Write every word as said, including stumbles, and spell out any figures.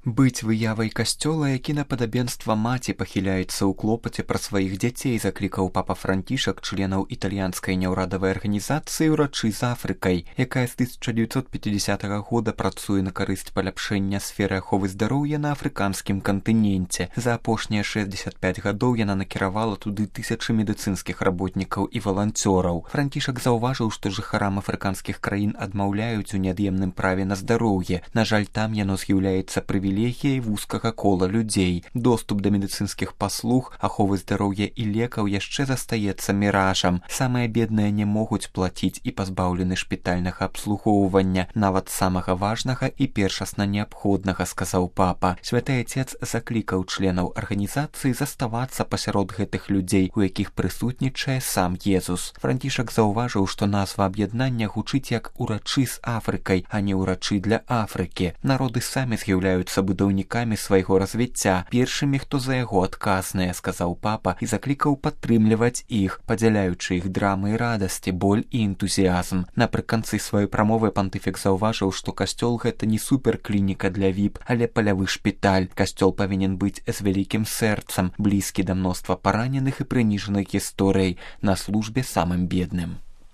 Быць выявай касцёла, які на падабенства маці пахіляецца ў клопаце пра сваіх дзяцей, заклікаў папа Францішак членаў італьянскай няўрадавай арганізацыі «Урачы з Афрыкай», якая з тысяча дзевяцьсот пяцідзясятага года працуе на карысць паляпшэння сферы аховы здароўя на афрыканскім кантыненце. За апошнія шэсцьдзесят пяць гадоў яна накіравала туды тысячы медыцынскіх работнікаў і валанцёраў. Францішак заўважыў, што жыхарам афрыканскіх краін адмаўляюць у неад'емным праве на здароўе. На жаль, там яно з'яўляецца прывілеем прывілегіяй вузкага кола людзей. Доступ да медыцынскіх паслуг, аховы здароўя і лекаў яшчэ застаецца міражам. Самыя бедныя не могуць плаціць і пазбаўлены шпітальнага абслугоўвання, нават самага важнага і першасна неабходнага, сказаў папа. Святы Отец заклікаў членаў арганізацыі заставацца пасярод гэтых людзей, у якіх прысутнічае сам Езус. Францішак заўважыў, што назва аб'яднання гучыць як «Урачы з Афрыкай», а не «Урачы для Афрыкі». Народы самі з'яўляюцца будаўнікамі свайго развіцця, першымі, хто за яго адказныя, сказаў папа і заклікаў падтрымліваць іх, падзяляючы іх драмы і радасці, боль і энтузіазм. Напрыканцы сваёй прамовы пантыфік заўважыў, што касцёл гэта не суперклініка для віп, але палявы шпіталь. Касцёл павінен быць з вялікім сэрцам, блізкі да мноства параненых і прыніжаных гісторый, на службе самым бедным.